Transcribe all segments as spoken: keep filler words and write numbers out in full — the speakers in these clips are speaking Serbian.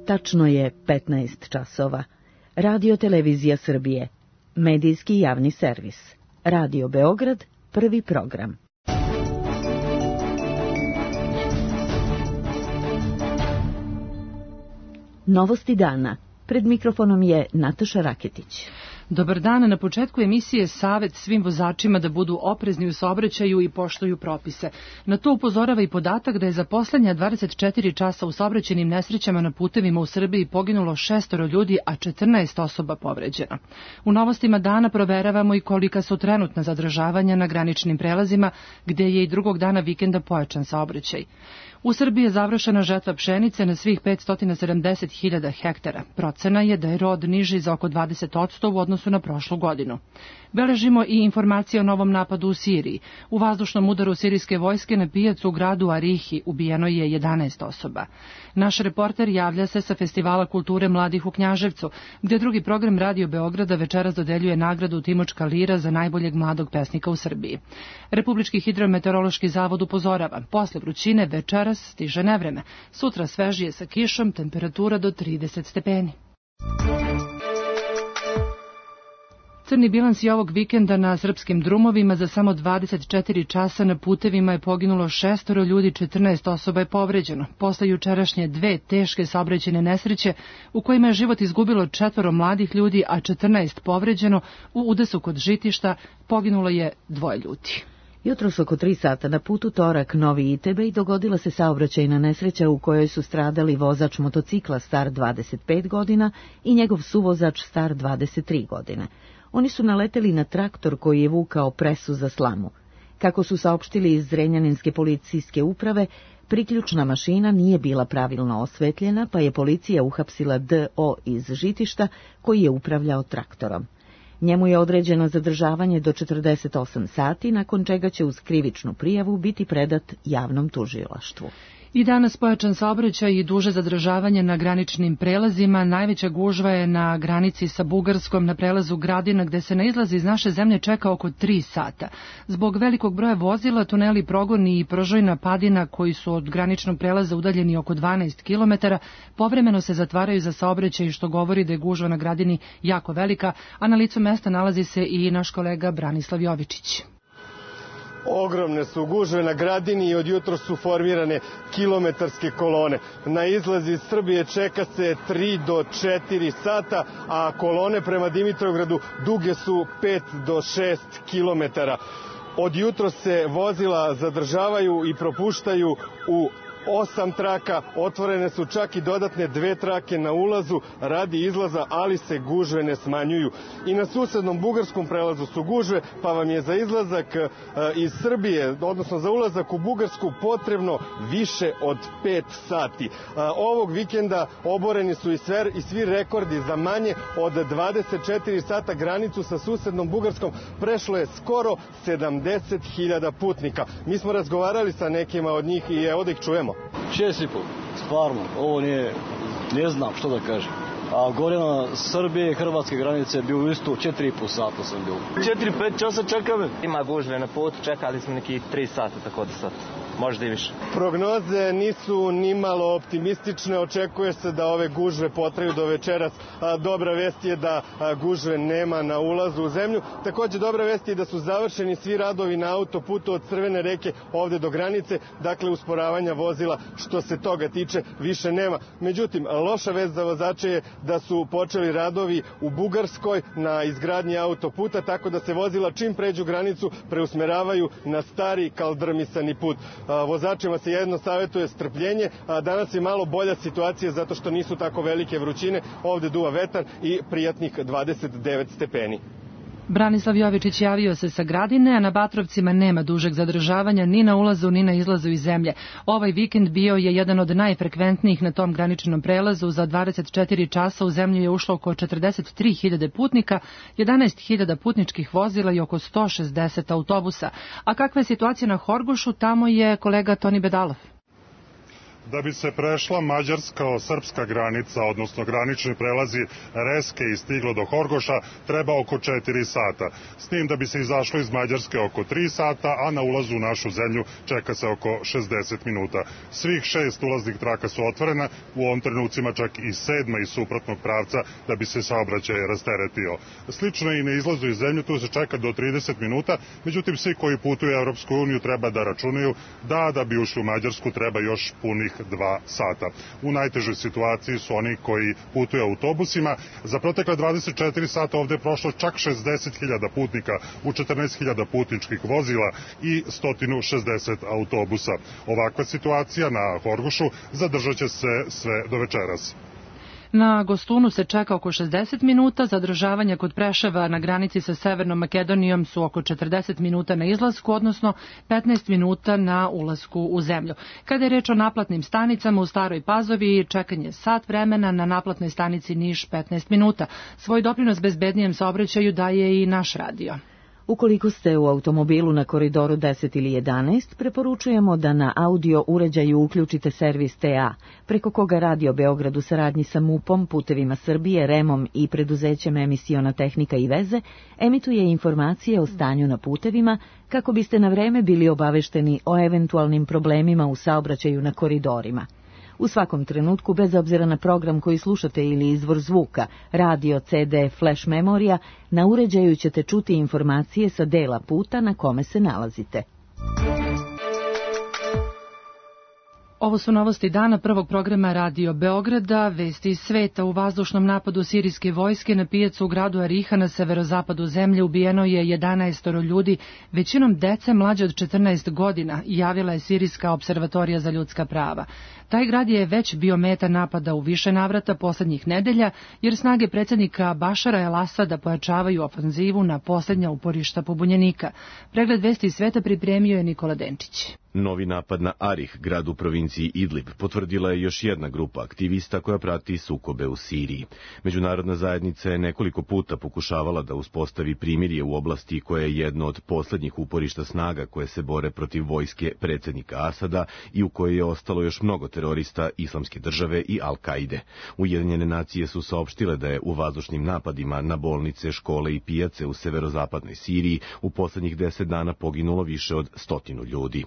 Tačno je petnaest časova. Radio Televizija Srbije. Medijski javni servis. Radio Beograd, prvi program. Novosti dana. Pred mikrofonom je Nataša Raketić. Dobar dan, na početku emisije savet svim vozačima da budu oprezni u saobraćaju i poštuju propise. Na to upozorava i podatak da je za poslednja dvadeset četiri časa u saobraćajnim nesrećama na putevima u Srbiji poginulo šestoro ljudi, a četrnaest osoba povređeno. U novostima dana proveravamo i kolika su trenutna zadržavanja na graničnim prelazima, gde je i drugog dana vikenda pojačan saobraćaj. U Srbiji je završena žetva pšenice na svih petsto sedamdeset hiljada hektara. Procena je da je rod niži za oko dvadeset posto u odnosu na prošlu godinu. Beležimo i informacije o novom napadu u Siriji. U vazdušnom udaru sirijske vojske na pijacu u gradu Arihi ubijeno je jedanaest osoba. Naš reporter javlja se sa Festivala kulture mladih u Knjaževcu, gde drugi program Radio Beograda večeras dodeljuje nagradu Timočka lira za najboljeg mladog pesnika u Srbiji. Republički hidrometeorološki zavod upozorava, posle vrućine večeras stiže nevreme. Sutra svežije sa kišom, temperatura do trideset stepeni. Crni bilans i ovog vikenda na srpskim drumovima. Za samo dvadeset četiri časa na putevima je poginulo šestoro ljudi, četrnaest osoba je povređeno. Posle jučerašnje dve teške saobraćajne nesreće u kojima je život izgubilo četvoro mladih ljudi, a četrnaest povređeno, u udesu kod Žitišta poginulo je dvoje ljudi. Jutros oko tri sata na putu Torak Novi Itebej dogodila se saobraćajna nesreća u kojoj su stradali vozač motocikla star dvadeset pet godina i njegov suvozač star dvadeset tri godine. Oni su naleteli na traktor koji je vukao presu za slamu. Kako su saopštili iz Zrenjaninske policijske uprave, priključna mašina nije bila pravilno osvetljena, pa je policija uhapsila D O iz Žitišta koji je upravljao traktorom. Njemu je određeno zadržavanje do četrdeset osam sati, nakon čega će uz krivičnu prijavu biti predat javnom tužilaštvu. I danas pojačan saobraćaj i duže zadržavanje na graničnim prelazima. Najveća gužva je na granici sa Bugarskom na prelazu Gradina, gde se na izlaz iz naše zemlje čeka oko tri sata. Zbog velikog broja vozila, tuneli Progoni i Prožojna Padina, koji su od graničnog prelaza udaljeni oko dvanaest kilometara, povremeno se zatvaraju za saobraćaj, što govori da je gužva na Gradini jako velika, a na licu mesta nalazi se i naš kolega Branislav Jovičić. Ogromne su gužve na Gradini i od jutros su formirane kilometarske kolone. Na izlazi iz Srbije čeka se tri do četiri sata, a kolone prema Dimitrovgradu duge su pet do šest kilometara. Od jutros se vozila zadržavaju i propuštaju u osam traka, otvorene su čak i dodatne dve trake na ulazu radi izlaza, ali se gužve ne smanjuju. I na susednom bugarskom prelazu su gužve, pa vam je za izlazak iz Srbije, odnosno za ulazak u Bugarsku, potrebno više od pet sati. Ovog vikenda oboreni su i, sver, i svi rekordi. Za manje od dvadeset četiri sata granicu sa susednom Bugarskom prešlo je skoro sedamdeset hiljada putnika. Mi smo razgovarali sa nekima od njih i evo da ih čujemo. Šest i pol, stvarno, ovo nije, ne znam što da kažem. A gore na Srbije i Hrvatske granice je bio isto četiri i pol sata sam bio. Četiri, pet časa čekame. Ima gužve na putu, čekali smo neki tri sata, tako da sad, možda i više. Prognoze nisu nimalo optimistične, očekuje se da ove gužve potraju do večeras. Dobra vest je da gužve nema na ulazu u zemlju. Takođe dobra vest je da su završeni svi radovi na autoputu od Crvene reke ovde do granice, dakle usporavanja vozila što se toga tiče više nema. Međutim, loša vest za vozače je da su počeli radovi u Bugarskoj na izgradnji autoputa, tako da se vozila čim pređu granicu preusmeravaju na stari kaldrmisani put. Vozačima se jedno savjetuje strpljenje, a danas je malo bolja situacija zato što nisu tako velike vrućine, ovde duva vetar i prijatnih dvadeset devet stepeni. Branislav Jovičić javio se sa Gradine, a na Batrovcima nema dužeg zadržavanja ni na ulazu ni na izlazu iz zemlje. Ovaj vikend bio je jedan od najfrekventnijih na tom graničnom prelazu. Za dvadeset četiri časa u zemlju je ušlo oko četrdeset tri hiljade putnika, jedanaest hiljada putničkih vozila i oko sto šezdeset autobusa. A kakva je situacija na Horgošu, tamo je kolega Toni Bedalov. Da bi se prešla mađarsko-srpska granica, odnosno granični prelazi Reske i stiglo do Horgoša, treba oko četiri sata. S tim da bi se izašlo iz Mađarske oko tri sata, a na ulazu u našu zemlju čeka se oko šezdeset minuta. Svih šest ulaznih traka su otvorena, u ovom trenucima čak i sedma iz suprotnog pravca da bi se saobraćaj rasteretio. Slično i na izlazu iz zemlje, tu se čeka do trideset minuta, međutim svi koji putuju u Evropsku uniju treba da računaju da da bi ušli u Mađarsku treba još punih dva sata. U najtežoj situaciji su oni koji putuju autobusima. Za protekle dvadeset četiri sata ovde je prošlo čak šezdeset hiljada putnika u četrnaest hiljada putničkih vozila i sto šezdeset autobusa. Ovakva situacija na Horgošu zadržat će se sve do večeras. Na Gostunu se čeka oko šezdeset minuta, zadržavanja kod Preševa na granici sa Severnom Makedonijom su oko četrdeset minuta na izlasku, odnosno petnaest minuta na ulasku u zemlju. Kada je reč o naplatnim stanicama u Staroj Pazovi, čekanje sat vremena, na naplatnoj stanici Niš petnaest minuta. Svoj doprinos bezbednijem saobraćaju daje i naš radio. Ukoliko ste u automobilu na koridoru deset ili jedanaest, preporučujemo da na audio uređaju uključite servis T A, preko koga Radio Beograd u saradnji sa MUP-om, Putevima Srbije, REM-om i preduzećem Emisiona tehnika i veze emituje informacije o stanju na putevima kako biste na vreme bili obavešteni o eventualnim problemima u saobraćaju na koridorima. U svakom trenutku, bez obzira na program koji slušate ili izvor zvuka, radio, C D, flash memorija, na uređaju ćete čuti informacije sa dela puta na kome se nalazite. Ovo su novosti dana prvog programa Radio Beograda, vesti iz sveta. U vazdušnom napadu sirijske vojske na pijacu u gradu Ariha na severozapadu zemlje ubijeno je jedanaest ljudi, većinom dece mlađe od četrnaest godina, javila je Sirijska observatorija za ljudska prava. Taj grad je već bio meta napada u više navrata poslednjih nedelja, jer snage predsjednika Bašara el-Asada pojačavaju ofanzivu na posljednja uporišta pobunjenika. Pregled vesti iz sveta pripremio je Nikola Denčić. Novi napad na Arih, grad u provinciji Idlib, potvrdila je još jedna grupa aktivista koja prati sukobe u Siriji. Međunarodna zajednica je nekoliko puta pokušavala da uspostavi primirje u oblasti koja je jedno od posljednjih uporišta snaga koje se bore protiv vojske predsjednika Asada i u kojoj je ostalo još mnogo terorista Islamske države i Al-Kaide. Ujedinjene nacije su saopštile da je u vazdušnim napadima na bolnice, škole i pijace u severozapadnoj Siriji u posljednjih deset dana poginulo više od stotinu ljudi.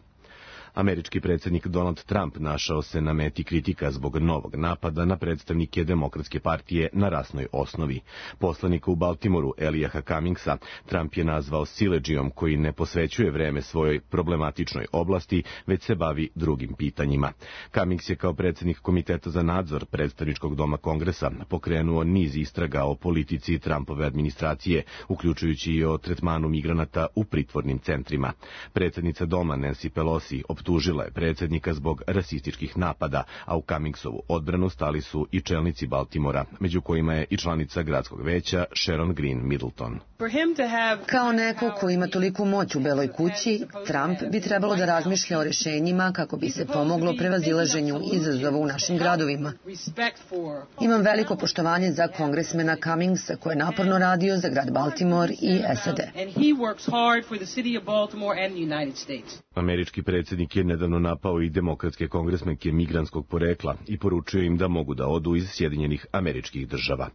Američki predsjednik Donald Trump našao se na meti kritika zbog novog napada na predstavnike Demokratske partije na rasnoj osnovi. Poslanika u Baltimoru, Eliaha Cummingsa, Trump je nazvao siledžijom koji ne posvećuje vreme svojoj problematičnoj oblasti, već se bavi drugim pitanjima. Cummings je kao predsjednik Komiteta za nadzor predstavničkog doma Kongresa pokrenuo niz istraga o politici Trumpove administracije, uključujući i o tretmanu migranata u pritvornim centrima. Predsjednica doma Nancy Pelosi optužila je predsjednika zbog rasističkih napada, a u Cummingsovu odbranu stali su i čelnici Baltimora, među kojima je i članica gradskog veća Sharon Green Middleton. Kao neko ko ima toliku moć u Beloj kući, Trump bi trebalo da razmišlja o rješenjima kako bi se pomoglo prevazilaženju izazova u našim gradovima. Imam veliko poštovanje za kongresmena Cummingsa koji je naporno radio za grad Baltimore i S A D. Američki predsjednik je nedavno napao i demokratske kongresmenke migrantskog porekla i poručio im da mogu da odu iz Sjedinjenih Američkih Država.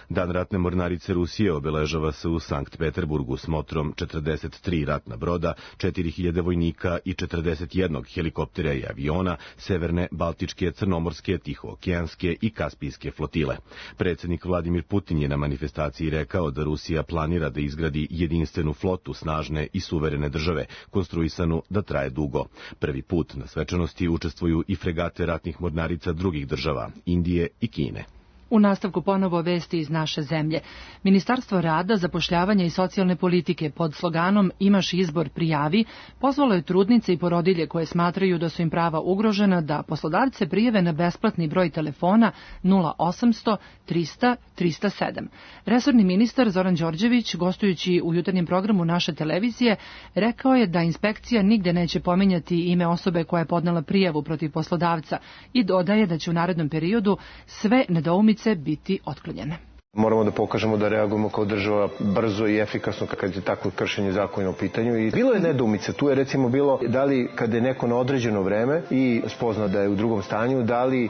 Dan ratne mornarice Rusije obeležava se u Sankt Peterburgu s motrom četrdeset tri ratna broda, četiri hiljade vojnika i četrdeset jedan helikoptera i aviona severne, baltičke, crnomorske, tihookeanske i kaspijske flotile. Predsjednik Vladimir Putin je na manifestaciji rekao da Rusija planira da izgradi jedinstvenu flotu snažne i suverene države, konstruisanu da traje dugo. Prvi put na svečanosti učestvuju i fregate ratnih mornarica drugih država, Indije i Kine. U nastavku ponovo vesti iz naše zemlje. Ministarstvo rada, zapošljavanja i socijalne politike pod sloganom Imaš izbor, prijavi, pozvalo je trudnice i porodilje koje smatraju da su im prava ugrožena da poslodavce prijave na besplatni broj telefona nula osamsto trista trista sedam. Resorni ministar Zoran Đorđević, gostujući u jutarnjem programu naše televizije, rekao je da inspekcija nigde neće pominjati ime osobe koja je podnela prijavu protiv poslodavca i dodaje da će u narednom periodu sve nedoumice biti otklonjene. Moramo da pokažemo da reagujemo kao država brzo i efikasno kad je takvo kršenje zakona u pitanju. I bilo je nedoumice. Tu je recimo bilo da li kada je neko na određeno vreme i spozna da je u drugom stanju, da li e,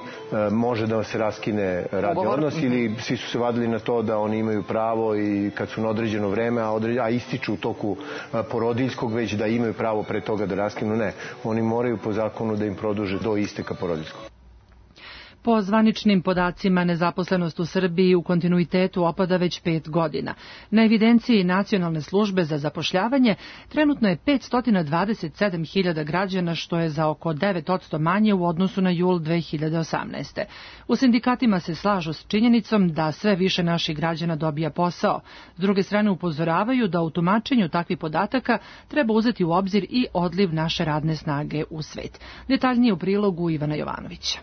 može da se raskine radni odnos ili svi su se vadili na to da oni imaju pravo i kad su na određeno vreme, a, određ... a ističu u toku a, porodiljskog već da imaju pravo pre toga da raskinu. Ne, oni moraju po zakonu da im produže do isteka porodiljskog. Po zvaničnim podacima, nezaposlenost u Srbiji u kontinuitetu opada već pet godina. Na evidenciji Nacionalne službe za zapošljavanje trenutno je petsto dvadeset sedam hiljada građana, što je za oko devet posto manje u odnosu na jul dve hiljade osamnaeste. U sindikatima se slažu s činjenicom da sve više naših građana dobija posao. S druge strane upozoravaju da u tumačenju takvih podataka treba uzeti u obzir i odliv naše radne snage u svet. Detaljnije u prilogu Ivana Jovanovića.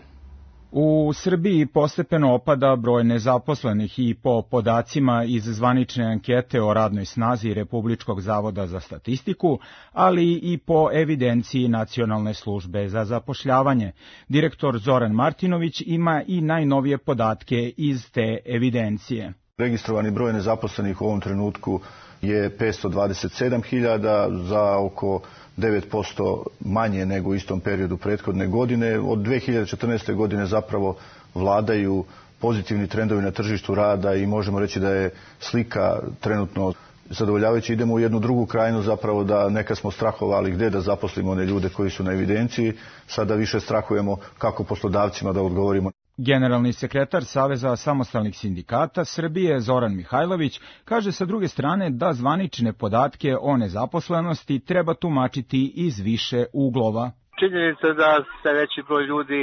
U Srbiji postepeno opada broj nezaposlenih i po podacima iz zvanične ankete o radnoj snazi Republičkog zavoda za statistiku, ali i po evidenciji Nacionalne službe za zapošljavanje. Direktor Zoran Martinović ima i najnovije podatke iz te evidencije. Registrovani broj nezaposlenih u ovom trenutku je petsto dvadeset sedam hiljada, za oko devet posto manje nego u istom periodu prethodne godine. Od dve hiljade četrnaeste. godine zapravo vladaju pozitivni trendovi na tržištu rada i možemo reći da je slika trenutno zadovoljavajuća. Idemo u jednu drugu krajinu, zapravo da neka smo strahovali gde da zaposlimo one ljude koji su na evidenciji, sada više strahujemo kako poslodavcima da odgovorimo. Generalni sekretar Saveza samostalnih sindikata Srbije Zoran Mihajlović kaže sa druge strane da zvanične podatke o nezaposlenosti treba tumačiti iz više uglova. Činjenica da sve veći broj ljudi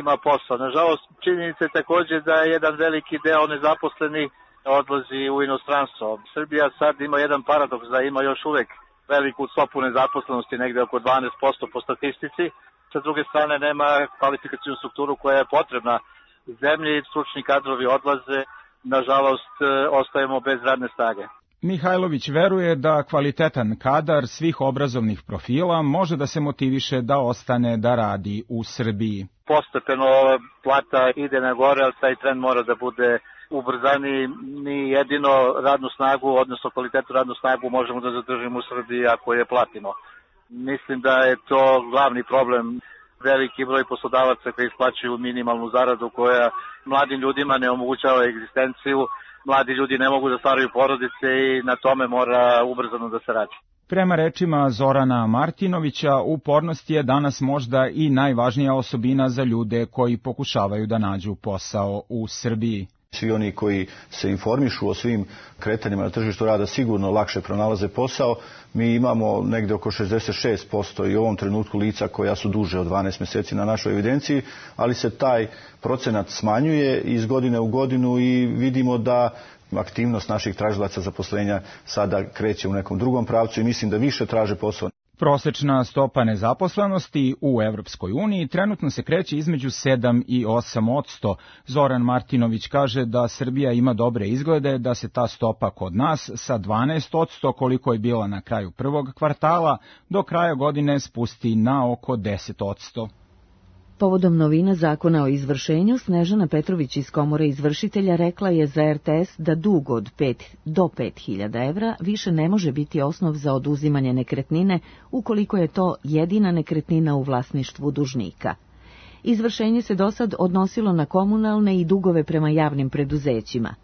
ima posao. Nažalost, činjenica je također da je jedan veliki deo nezaposlenih odlazi u inostranstvo. Srbija sad ima jedan paradoks da ima još uvek veliku stopu nezaposlenosti, negde oko dvanaest posto po statistici. Sa druge strane nema kvalifikacijnu strukturu koja je potrebna zemlji, stručni kadrovi odlaze, nažalost ostajemo bez radne snage. Mihajlović veruje da kvalitetan kadar svih obrazovnih profila može da se motiviše da ostane da radi u Srbiji. Postepeno plata ide na gore, ali taj trend mora da bude ubrzani. Mi jedino radnu snagu, odnosno kvalitetu radnu snagu možemo da zadržimo u Srbiji ako je platimo. Mislim da je to glavni problem. Veliki broj poslodavaca koji isplaćuju minimalnu zaradu koja mladim ljudima ne omogućava egzistenciju. Mladi ljudi ne mogu da stvaraju porodice i na tome mora ubrzano da se radi. Prema rečima Zorana Martinovića, upornost je danas možda i najvažnija osobina za ljude koji pokušavaju da nađu posao u Srbiji. Svi oni koji se informišu o svim kretanjima na tržištu rada sigurno lakše pronalaze posao. Mi imamo negde oko šezdeset šest posto i u ovom trenutku lica koja su duže od dvanaest meseci na našoj evidenciji, ali se taj procenat smanjuje iz godine u godinu i vidimo da aktivnost naših tražilaca zaposlenja sada kreće u nekom drugom pravcu i mislim da više traže posao. Prosečna stopa nezaposlenosti u Evropskoj uniji trenutno se kreće između sedam i osam posto. Zoran Martinović kaže da Srbija ima dobre izglede, da se ta stopa kod nas sa dvanaest posto koliko je bila na kraju prvog kvartala do kraja godine spusti na oko deset posto. Povodom novina zakona o izvršenju, Snežana Petrović iz Komore izvršitelja rekla je za er te es da dug od pet do pet hiljada evra više ne može biti osnov za oduzimanje nekretnine ukoliko je to jedina nekretnina u vlasništvu dužnika. Izvršenje se dosad odnosilo na komunalne i dugove prema javnim preduzećima.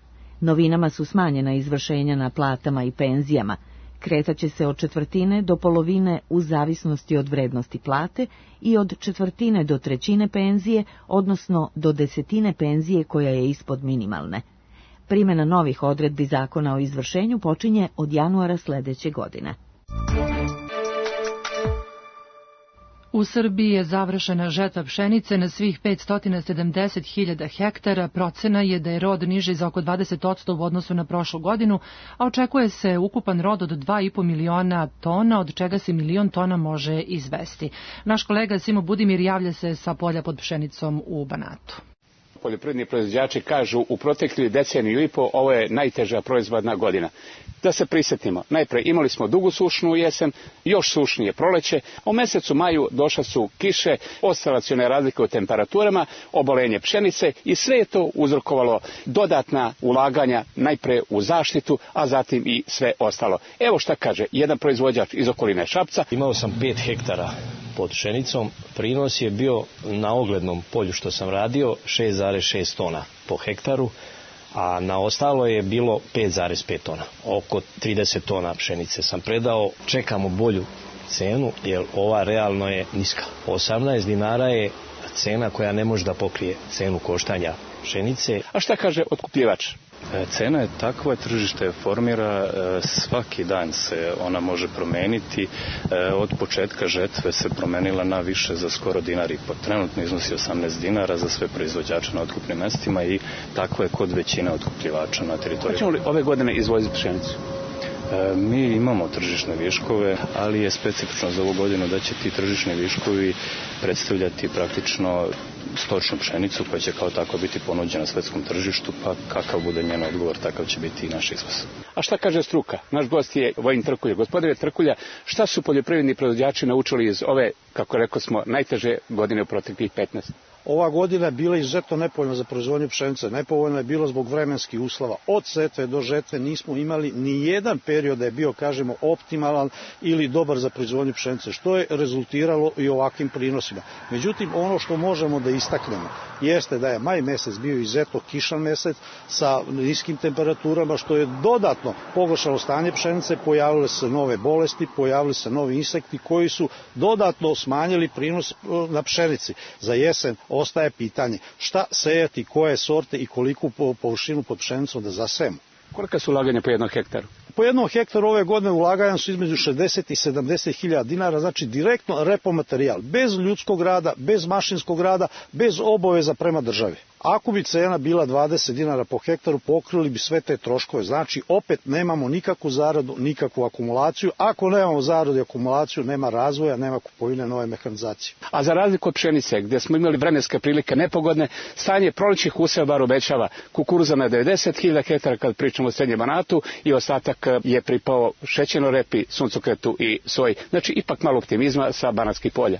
Novinama su smanjena izvršenja na platama i penzijama. Kretaće se od četvrtine do polovine u zavisnosti od vrednosti plate i od četvrtine do trećine penzije, odnosno do desetine penzije koja je ispod minimalne. Primjena novih odredbi zakona o izvršenju počinje od januara sledeće godine. U Srbiji je završena žetva pšenice na svih petsto sedamdeset hiljada hektara. Procena je da je rod niži za oko dvadeset posto u odnosu na prošlu godinu, a očekuje se ukupan rod od dva i po miliona tona, od čega se milion tona može izvesti. Naš kolega Simo Budimir javlja se sa polja pod pšenicom u Banatu. poljoprivredni proizvođači kažu u proteklih deceniju i po ovo je najteža proizvodna godina. Da se prisjetimo, najpre imali smo dugu sušnu jesen, još sušnije proleće, u mesecu maju došle su kiše, oscilacione razlike u temperaturama, obolenje pšenice i sve je to uzrokovalo dodatna ulaganja najpre u zaštitu, a zatim i sve ostalo. Evo šta kaže jedan proizvođač iz okoline Šapca. Imao sam pet hektara pod pšenicom, prinos je bio na oglednom polju što sam radio šest zarez šest tona po hektaru, a na ostalo je bilo pet zarez pet tona. Oko trideset tona pšenice sam predao, čekamo bolju cenu jer ova realno je niska. osamnaest dinara je cena koja ne može da pokrije cenu koštanja pšenice. A šta kaže otkupljivač? Cena je takva, tržište formira, svaki dan se ona može promeniti. Od početka žetve se promenila na više za skoro dinar i po. Trenutno iznosi osamnaest dinara za sve proizvođače na otkupnim mestima i tako je kod većine otkupljivača na teritoriji. Hoćemo li ove godine izvoziti pšenicu? Mi imamo tržišne viškove, ali je specifično za ovu godinu da će ti tržišni viškovi predstavljati praktično stočnu pšenicu koja će kao tako biti ponuđena svetskom tržištu, pa kakav bude njen odgovor, takav će biti i naš izvoz. A šta kaže struka? Naš gost je Vojin Trkulja. Gospodine Trkulja, šta su poljoprivredni proizvođači naučili iz ove, kako rekao smo, najteže godine u proteklih petnaest? Ova godina je bila izuzetno nepovoljna za proizvodnju pšenice. Nepovoljna je bilo zbog vremenskih uslova. Od setve do žetve nismo imali ni jedan period da je bio, kažemo, optimalan ili dobar za proizvodnju pšenice, što je rezultiralo i ovakvim prinosima. Međutim, ono što možemo da istaknemo jeste da je maj mesec bio izuzetno kišan mesec sa niskim temperaturama, što je dodatno pogoršalo stanje pšenice, pojavile se nove bolesti, pojavili se novi insekti koji su dodatno smanjili prinos na pšenici. Za jesen ostaje pitanje šta sejati, koje sorte i koliku površinu pod pšenicom da zasejemo. Kolika su ulaganja po jednom hektaru? Po jednom hektaru ove godine ulaganja su između šezdeset i sedamdeset hiljada dinara, znači direktno repomaterijal, bez ljudskog rada, bez mašinskog rada, bez obaveza prema državi. Ako bi cena bila dvadeset dinara po hektaru, pokrili bi sve te troškove. Znači, opet nemamo nikakvu zaradu, nikakvu akumulaciju. Ako nemamo zaradu i akumulaciju, nema razvoja, nema kupovine nove mehanizacije. A za razliku od pšenice, gdje smo imali vremenske prilike nepogodne, stanje prolećnih useva bar obećava kukuruza na devedeset hiljada hektara kad pričamo o srednjem Banatu i ostatak je pripao šećernoj repi, suncokretu i soji. Znači, ipak malo optimizma sa banatskih polja.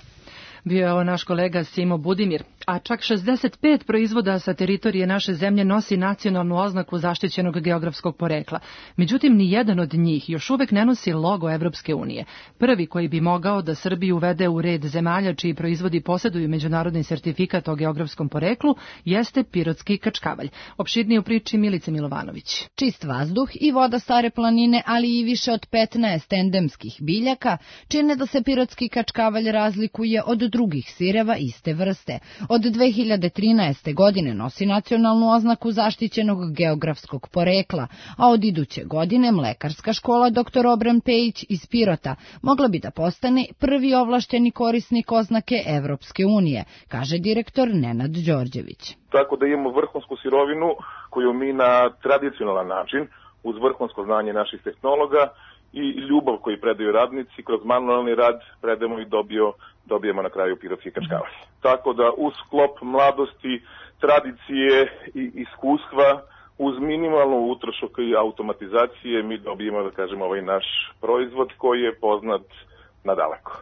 Bio je ovo naš kolega Simo Budimir, a čak šezdeset pet proizvoda sa teritorije naše zemlje nosi nacionalnu oznaku zaštićenog geografskog porekla. Međutim, ni jedan od njih još uvek ne nosi logo Evropske unije. Prvi koji bi mogao da Srbiju uvede u red zemalja čiji proizvodi posjeduju međunarodni sertifikat o geografskom poreklu jeste pirotski kačkavalj. Opširnije u priči Milice Milovanović. Čist vazduh i voda Stare planine, ali i više od petnaest endemskih biljaka čine da se pirotski kačkavalj razlikuje od drugih sireva iste vrste. Od dve hiljade trinaeste. godine nosi nacionalnu oznaku zaštićenog geografskog porekla, a od iduće godine Mlekarska škola doktor Obran Pejić iz Pirota mogla bi da postane prvi ovlašteni korisnik oznake Evropske unije, kaže direktor Nenad Đorđević. Tako da imamo vrhunsku sirovinu koju mi na tradicionalan način, uz vrhunsko znanje naših tehnologa i ljubav koju predaju radnici, kroz manualni rad predajemo i dobio, dobijemo na kraju pirotski kačkavalj. Tako da uz sklop mladosti, tradicije i iskustva, uz minimalnu utrošak i automatizacije mi dobijemo, da kažemo, ovaj naš proizvod koji je poznat nadaleko.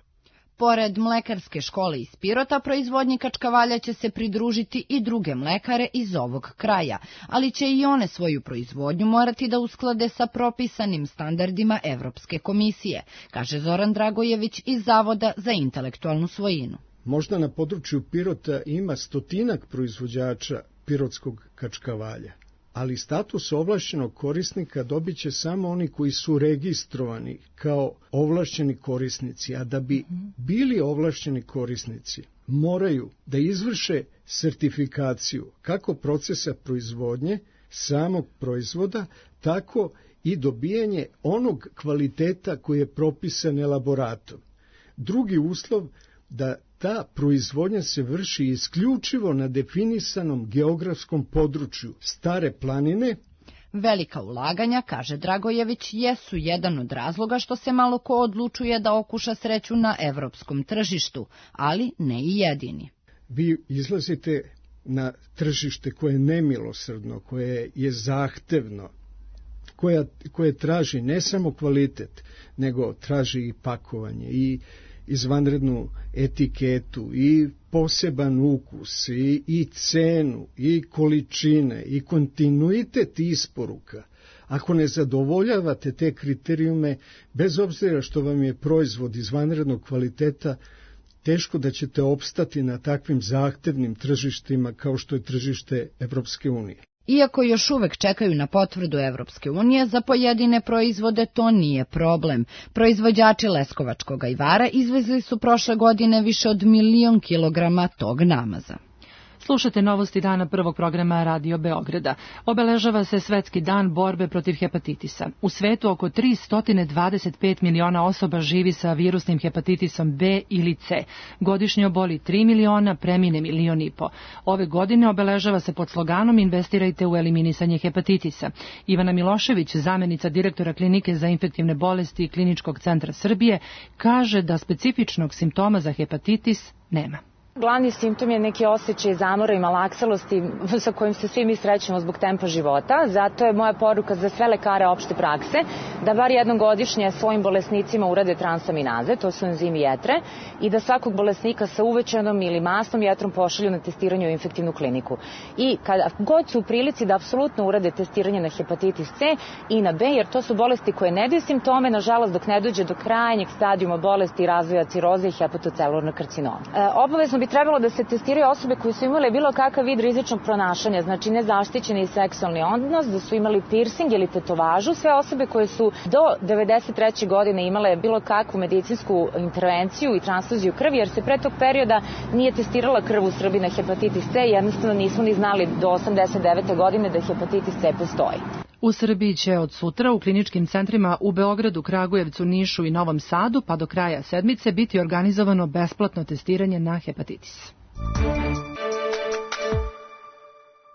Pored Mlekarske škole iz Pirota, proizvodnji kačkavalja će se pridružiti i druge mlekare iz ovog kraja, ali će i one svoju proizvodnju morati da usklade sa propisanim standardima Evropske komisije, kaže Zoran Dragojević iz Zavoda za intelektualnu svojinu. Možda na području Pirota ima stotinak proizvođača pirotskog kačkavalja, ali status ovlašćenog korisnika dobit će samo oni koji su registrovani kao ovlašćeni korisnici, a da bi bili ovlašćeni korisnici moraju da izvrše sertifikaciju kako procesa proizvodnje samog proizvoda, tako i dobijanje onog kvaliteta koji je propisan elaboratom. Drugi uslov da ta proizvodnja se vrši isključivo na definisanom geografskom području Stare planine. Velika ulaganja, kaže Dragojević, jesu jedan od razloga što se malo ko odlučuje da okuša sreću na evropskom tržištu, ali ne i jedini. Vi izlazite na tržište koje je nemilosrdno, koje je zahtevno, koja, koje traži ne samo kvalitet, nego traži i pakovanje, i izvanrednu etiketu, i poseban ukus, i, i cenu, i količine, i kontinuitet isporuka. Ako ne zadovoljavate te kriterijume, bez obzira što vam je proizvod izvanrednog kvaliteta, teško da ćete opstati na takvim zahtevnim tržištima kao što je tržište Evropske unije. Iako još uvek čekaju na potvrdu Evropske unije, za pojedine proizvode to nije problem. Proizvođači leskovačkog ajvara izvezli su prošle godine više od milion kilograma tog namaza. Slušate novosti dana prvog programa Radio Beograda. Obeležava se Svetski dan borbe protiv hepatitisa. U svetu oko tristo dvadeset pet miliona osoba živi sa virusnim hepatitisom B ili C. Godišnje oboli tri miliona, premine milion i po. Ove godine obeležava se pod sloganom Investirajte u eliminisanje hepatitisa. Ivana Milošević, zamenica direktora Klinike za infektivne bolesti Kliničkog centra Srbije, kaže da specifičnog simptoma za hepatitis nema. Glavni simptom je neki osjećaj zamora i malaksalosti sa kojim se svi mi srećemo zbog tempa života. Zato je moja poruka za sve lekare opšte prakse da bar jednom godišnje svojim bolesnicima urade transaminaze, to su enzimi jetre, i da svakog bolesnika sa uvećanom ili masnom jetrom pošalju na testiranje u infektivnu kliniku. I kada god su u prilici da apsolutno urade testiranje na hepatitis C i na B, jer to su bolesti koje ne daju simptome, nažalost, dok ne dođe do krajnjeg stadijuma bolesti i razvoja ciroze i hepatocelularnog karcinoma. E, obavezno bi trebalo da se testiraju osobe koje su imale bilo kakav vid rizičnog pronašanja, znači nezaštićeni seksualni odnos, da su imali piercing ili tetovažu, sve osobe koje su do devedeset treće godine imale bilo kakvu medicinsku intervenciju i transfuziju krvi, jer se pre tog perioda nije testirala krv u Srbiji na hepatitis C, jednostavno nismo ni znali do osamdeset devete godine da hepatitis C postoji. U Srbiji će od sutra u kliničkim centrima u Beogradu, Kragujevcu, Nišu i Novom Sadu pa do kraja sedmice biti organizovano besplatno testiranje na hepatitis.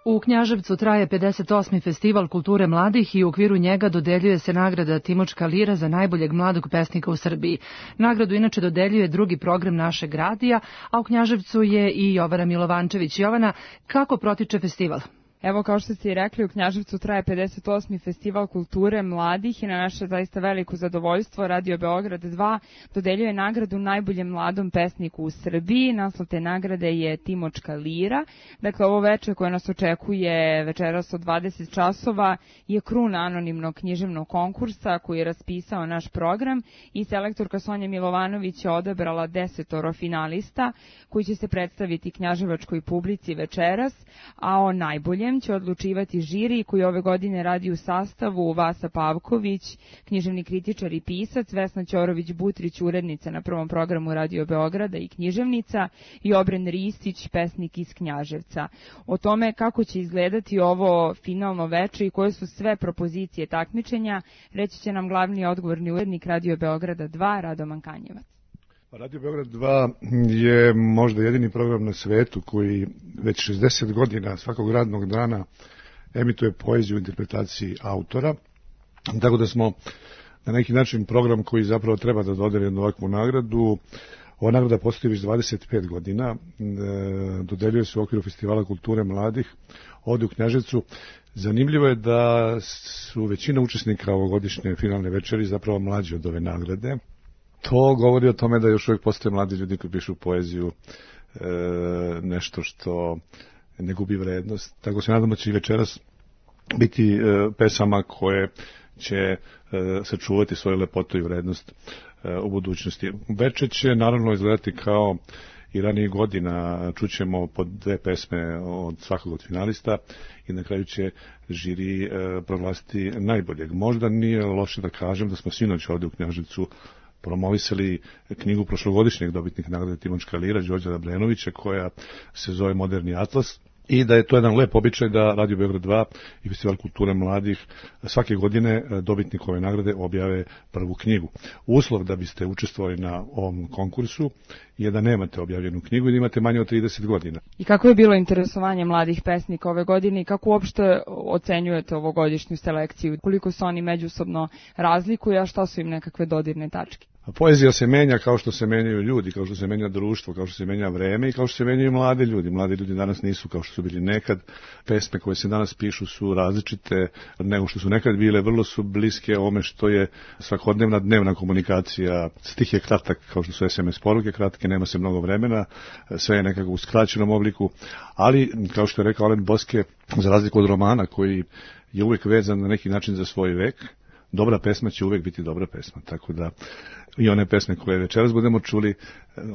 U Knjaževcu traje pedeset osmi festival kulture mladih i u okviru njega dodeljuje se nagrada Timočka lira za najboljeg mladog pesnika u Srbiji. Nagradu inače dodeljuje drugi program našeg radija, a u Knjaževcu je i Jovana Milovančević. Jovana, kako protiče festival? Evo, kao što ste i rekli, u Knjaževcu traje pedeset osmi festival kulture mladih i na naše zaista veliko zadovoljstvo Radio Beograd dva dodeljuje nagradu najboljem mladom pesniku u Srbiji. Naslov te nagrade je Timočka lira. Dakle, ovo veče koje nas očekuje večeras od dvadeset časova je kruna anonimnog književnog konkursa koji je raspisao naš program i selektorka Sonja Milovanović je odabrala desetoro finalista koji će se predstaviti knjaževačkoj publici večeras, a o najboljem će odlučivati žiri koji ove godine radi u sastavu Vasa Pavković, književni kritičar i pisac, Vesna Ćorović-Butrić, urednica na prvom programu Radio Beograda i književnica, i Obren Ristić, pesnik iz Knjaževca. O tome kako će izgledati ovo finalno veče i koje su sve propozicije takmičenja, reći će nam glavni odgovorni urednik Radio Beograda dva, Radoman Kanjevac. Radio Beograd dva je možda jedini program na svetu koji već šezdeset godina svakog radnog dana emituje poeziju u interpretaciji autora, tako da smo na neki način program koji zapravo treba da dodeli jednu ovakvu nagradu. Ova nagrada postoji već dvadeset pet godina, dodeljuje se u okviru Festivala kulture mladih ovdje u Knjaževcu. Zanimljivo je da su većina učesnika ovogodišnje finalne večeri zapravo mlađi od ove nagrade. To govori o tome da još uvijek postoje mladi ljudi koji pišu poeziju, e, nešto što ne gubi vrednost. Tako se nadamo će i večeras biti e, pesama koje će e, sačuvati svoju lepotu i vrednost e, u budućnosti. Veče će naravno izgledati kao i ranijih godina, čućemo po dve pesme od svakog od finalista i na kraju će žiri e, proglasiti najboljeg. Možda nije loše da kažem da smo sinoć ovdje u Knjaževcu promovisali knjigu prošlogodišnjeg dobitnika nagrade Timočka lira, Đorđa Dabrenovića, koja se zove Moderni atlas, i da je to jedan lep običaj da Radio Beograd dva i Festival kulture mladih svake godine dobitnik ove nagrade objave prvu knjigu. Uslov da biste učestvovali na ovom konkursu je da nemate objavljenu knjigu i da imate manje od trideset godina. I kako je bilo interesovanje mladih pesnika ove godine i kako uopšte ocenjujete ovogodišnju selekciju? Koliko se oni međusobno razlikuju, a šta su im nekakve dodirne tačke? Poezija se menja kao što se menjaju ljudi, kao što se menja društvo, kao što se menja vreme i kao što se menjaju mladi ljudi. Mladi ljudi danas nisu kao što su bili nekad. Pesme koje se danas pišu su različite nego što su nekad bile, vrlo su bliske ome što je svakodnevna dnevna komunikacija. Stih je kratak kao što su es em es poruke kratke, nema se mnogo vremena, sve je nekako u skraćenom obliku, ali kao što je rekao Alen Boske, za razliku od romana koji je uvijek vezan na neki način za svoj vek, dobra pesma će uvijek biti dobra pesma, tako da i one pesme koje večeras budemo čuli,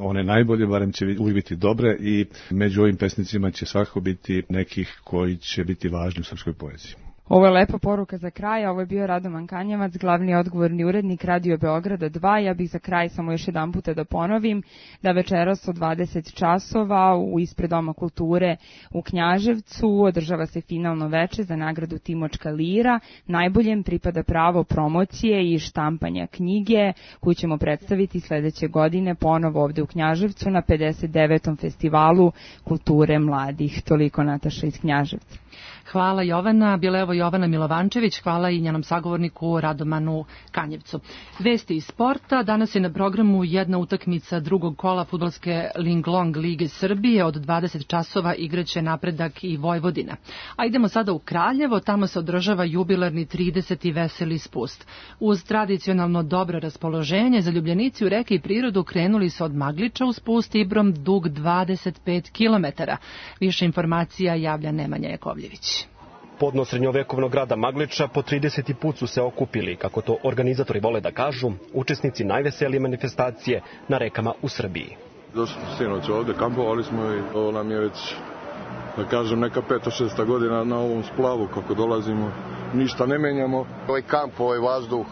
one najbolje barem će uvijek biti dobre i među ovim pesnicima će svakako biti nekih koji će biti važni u srpskoj poeziji. Ovo je lepa poruka za kraj, ovo je bio Radoman Kanjevac, glavni odgovorni urednik Radio Beograda dva. Ja bih za kraj samo još jedan puta da ponovim da večeras od dvadeset časova u ispred Doma kulture u Knjaževcu održava se finalno veče za nagradu Timočka lira. Najboljem pripada pravo promocije i štampanja knjige koju ćemo predstaviti sledeće godine ponovo ovde u Knjaževcu na pedeset devetom festivalu kulture mladih. Toliko Nataša iz Knjaževca. Hvala Jovana, bila je evo Jovana Milovančević, hvala i njenom sagovorniku Radomanu Kanjevcu. Vesti iz sporta, danas je na programu jedna utakmica drugog kola fudbalske Linglong lige Srbije, od dvadeset časova igraće Napredak i Vojvodina. A idemo sada u Kraljevo, tamo se održava jubilarni trideseti veseli spust. Uz tradicionalno dobro raspoloženje, zaljubljenici u reke i prirodu krenuli se od Magliča u spust Ibrom dug dvadeset pet kilometara. Više informacija javlja Nemanja Jakovljević. Podno srednjovekovnog grada Magliča po trideseti put su se okupili, kako to organizatori vole da kažu, učesnici najveselije manifestacije na rekama u Srbiji. Došli smo sinoć ovde, kampovali smo i ovo nam je već, da kažem, neka peta, šesta godina na ovom splavu kako dolazimo. Ništa ne menjamo. Ovaj kamp, ovaj vazduh,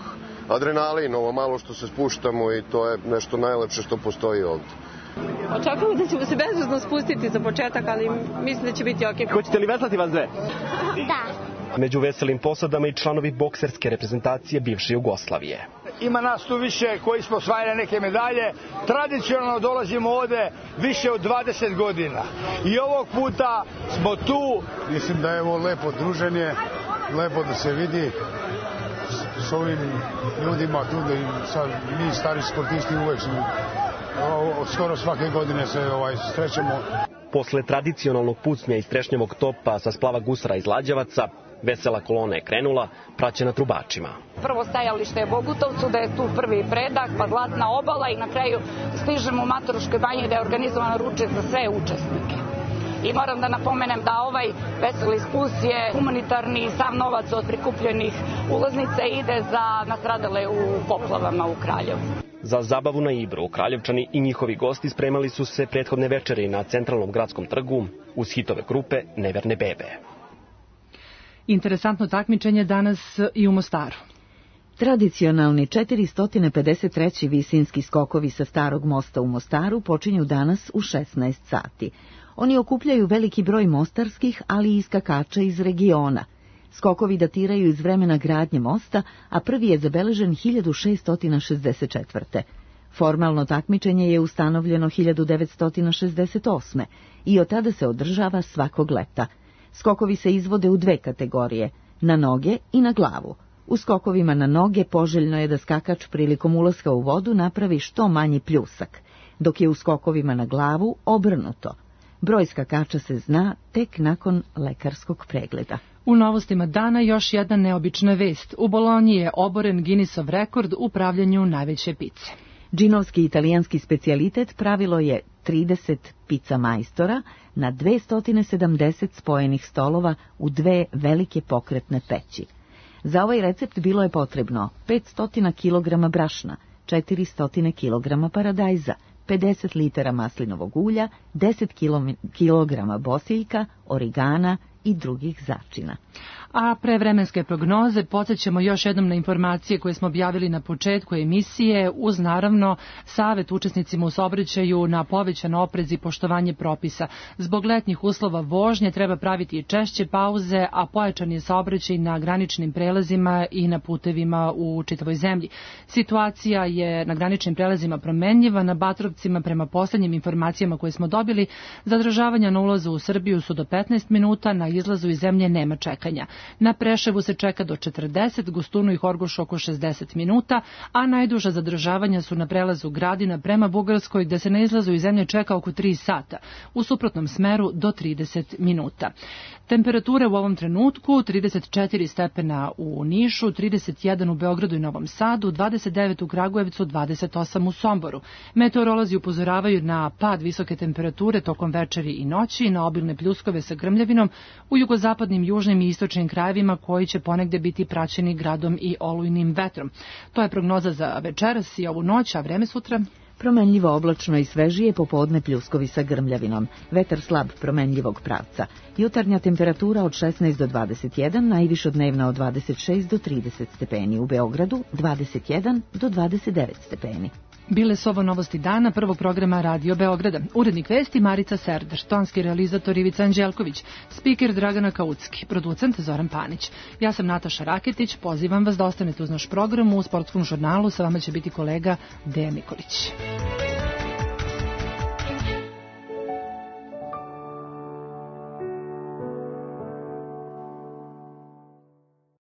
adrenalin, ovo malo što se spuštamo i to je nešto najlepše što postoji ovde. Očekujemo da ćemo se bezuzno spustiti za početak, ali mislim da će biti okej. Hoćete li veslati vas dve? Da. Među veselim posadama i članovi bokserske reprezentacije bivše Jugoslavije. Ima nas tu više koji smo osvajali neke medalje. Tradicionalno dolazimo ovde više od dvadeset godina. I ovog puta smo tu. Mislim da je ovo lepo druženje, lepo da se vidi s ovim ljudima tu, da mi stari sportisti uvek smo, skoro svake godine se ovaj, srećemo. Posle tradicionalnog pucnja iz trešnjevog topa sa splava Gusara iz Lađevaca, vesela kolona je krenula, praćena trubačima. Prvo stajalište je Bogutovcu, da je tu prvi predak, pa Zlatna obala i na kraju stižemo u Mataruškoj banji da je organizovan ručak za sve učesnike. I moram da napomenem da ovaj veseli spust je humanitarni i sav novac od prikupljenih ulaznica ide za nastradale u poplavama u Kraljevu. Za zabavu na Ibru, Kraljevčani i njihovi gosti spremali su se prethodne večeri na centralnom gradskom trgu uz hitove grupe Neverne bebe. Interesantno takmičenje danas i u Mostaru. Tradicionalni četiristo pedeset treći visinski skokovi sa Starog mosta u Mostaru počinju danas u šesnaest sati. Oni okupljaju veliki broj mostarskih, ali i skakača iz regiona. Skokovi datiraju iz vremena gradnje mosta, a prvi je zabeležen hiljadu šeststo šezdeset četvrte. Formalno takmičenje je ustanovljeno hiljadu devetsto šezdeset osme i od tada se održava svakog leta. Skokovi se izvode u dve kategorije, na noge i na glavu. U skokovima na noge poželjno je da skakač prilikom ulaska u vodu napravi što manji pljusak, dok je u skokovima na glavu obrnuto. Broj skakača se zna tek nakon lekarskog pregleda. U novostima dana još jedna neobična vest. U Bolonji je oboren Guinnessov rekord u pravljenju najveće pice. Džinovski italijanski specijalitet pravilo je trideset pica majstora na dvesta sedamdeset spojenih stolova u dve velike pokretne peći. Za ovaj recept bilo je potrebno petsto kilograma brašna, četiristo kilograma paradajza, pedeset litara maslinovog ulja, deset kilograma bosiljka, origana i drugih začina. A pre vremenske prognoze podsjećamo još jednom na informacije koje smo objavili na početku emisije, uz naravno savet učesnicima u saobraćaju na povećan oprez i poštovanje propisa. Zbog letnjih uslova vožnje treba praviti i češće pauze, a pojačan je saobraćaj na graničnim prelazima i na putevima u čitavoj zemlji. Situacija je na graničnim prelazima promenljiva, na Batrovcima prema poslednjim informacijama koje smo dobili, zadržavanja na ulazu u Srbiju su do petnaest minuta, na izlazu iz zemlje nema čekanja. Na Preševu se čeka do četrdeset, Gostunu i Horgošu oko šezdeset minuta, a najduža zadržavanja su na prelazu Gradina prema Bugarskoj, gde se na izlazu iz zemlje čeka oko tri sata, u suprotnom smeru do trideset minuta. Temperature u ovom trenutku trideset četiri stepena u Nišu, trideset jedan u Beogradu i Novom Sadu, dvadeset devet u Kragujevcu, dvadeset osam u Somboru. Meteorolozi upozoravaju na pad visoke temperature tokom večeri i noći, na obilne pljuskove sa grmljavinom u jugozapadnim, južnim i istočnim krajevima koji će ponegde biti praćeni gradom i olujnim vetrom. To je prognoza za večeras i ovu noć, a vreme sutra? Promenljivo oblačno i svežije, popodne pljuskovi sa grmljavinom. Vetar slab promenljivog pravca. Jutarnja temperatura od šesnaest do dvadeset jedan, najviša dnevna od dvadeset šest do trideset stepeni. U Beogradu dvadeset jedan do dvadeset devet stepeni. Bile su ovo novosti dana prvog programa Radio Beograda. Urednik vesti Marica Serdar, tonski realizator Ivica Anđelković, spiker Dragana Kaucki, producent Zoran Panić. Ja sam Nataša Raketić, pozivam vas da ostanete uz naš program. U sportskom žurnalu sa vama će biti kolega Dejan Nikolić.